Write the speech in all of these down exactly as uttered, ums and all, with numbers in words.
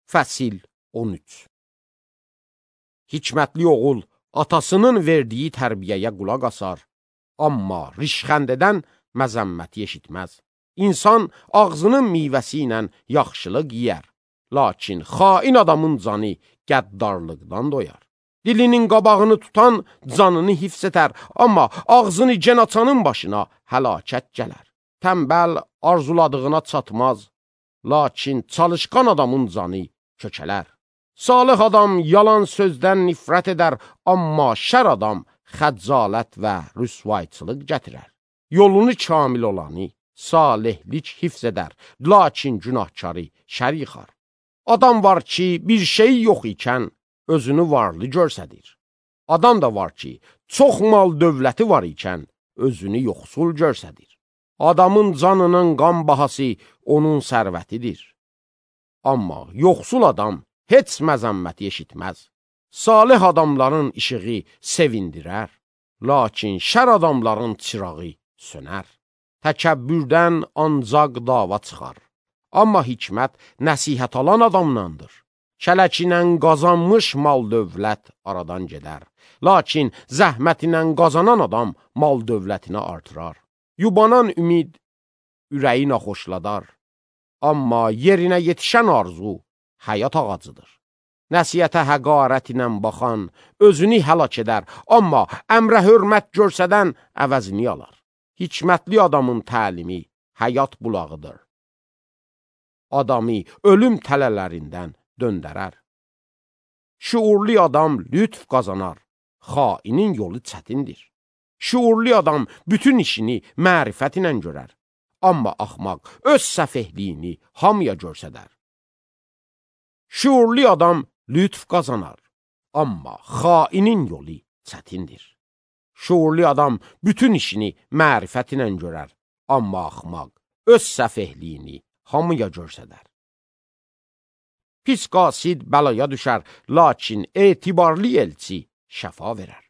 Fəsil on üç. Hikmətli oğul atasının verdiyi tərbiyəyə qulaq asar, amma rişxəndədən məzəmməti eşitməz. İnsan ağzının meyvəsi ilə yaxşılıq yiyər, lakin xain adamın canı qəddarlıqdan doyar. Dilinin qabağını tutan canını hifz edər, amma ağzını gen açanın başına həlakət gələr. Tənbəl arzuladığına çatmaz, lakin çalışqan adamın canı kökələr. Salih adam yalan sözdən nifrət edər, amma şər adam xəccalət və rüsvayçılıq gətirər. Yolunu kamil olanı salihlik hifz edər, lakin günahkarı şər yıxar. Adam var ki, bir şey yox ikən özünü varlı görsədir. Adam da var ki, çox mal dövləti var ikən özünü yoxsul görsədir. Adamın canının qan bahası onun sərvətidir. Amma yoxsul adam heç məzəmməti eşitməz. Salih adamların işığı sevindirər, lakin şər adamların çırağı sönər. Təkəbbürdən ancaq dava çıxar, amma hikmət nəsihət alan adamlandır. Kələkinə qazanmış mal dövlət aradan gedər, lakin zəhmətinə qazanan adam mal dövlətinə artırar. Yubanan ümid ürəyi naxoşladar, amma yerinə yetişən arzu həyat ağacıdır. Nəsiyyətə həqarət ilə baxan özünü həlak edər, amma əmrə hörmət görsədən əvəzini alar. Hikmətli adamın təlimi həyat bulağıdır. Adamı ölüm tələlərindən döndərər. Şuurlu adam lütf qazanar, xainin yolu çətindir. Şuurlu adam bütün işini mərifət ilə görər, amma axmaq öz səfehliyini hamıya görsədər. Şuurlu adam lütf qazanar, amma xainin yolu çətindir. Şuurlu adam bütün işini mərifət ilə görər, amma axmaq öz səfehliyini hamıya görsədər. Pis qasid bəlaya düşər, lakin etibarlı elçi şəfa verər.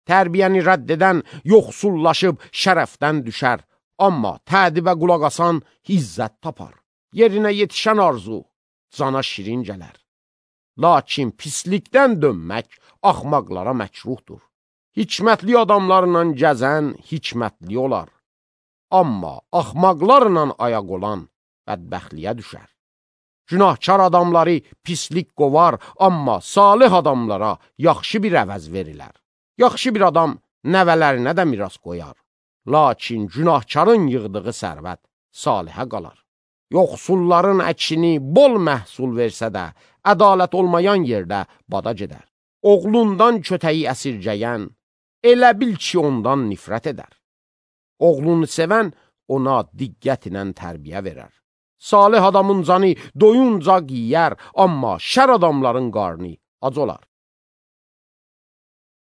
Tərbiyəni rədd edən yoxsullaşıb şərəfdən düşər, amma tədibə qulaq asan izzət tapar. Yerinə yetişən arzu cana şirin gələr. Lakin pislikdən dönmək axmaqlara məkruhdur. Hikmətli adamlarla gəzən hikmətli olar, amma axmaqlarla ayaq olan bədbəxtliyə düşər. Günahkar adamları pislik qovar, amma salih adamlara yaxşı bir əvəz verilər. Yaxşı bir adam nəvələrinə də miras qoyar, lakin günahkarın yığdığı sərvət salihə qalar. Yoxsulların əkini bol məhsul versə də, ədalət olmayan yerdə bada gedər. Oğlundan kötəyi əsirgəyən, elə bil ki, ondan nifrət edər. Oğlunu sevən ona diqqət ilə tərbiyə verər. Salih adamın canı doyunca yiyər, amma şər adamların qarnı ac olar.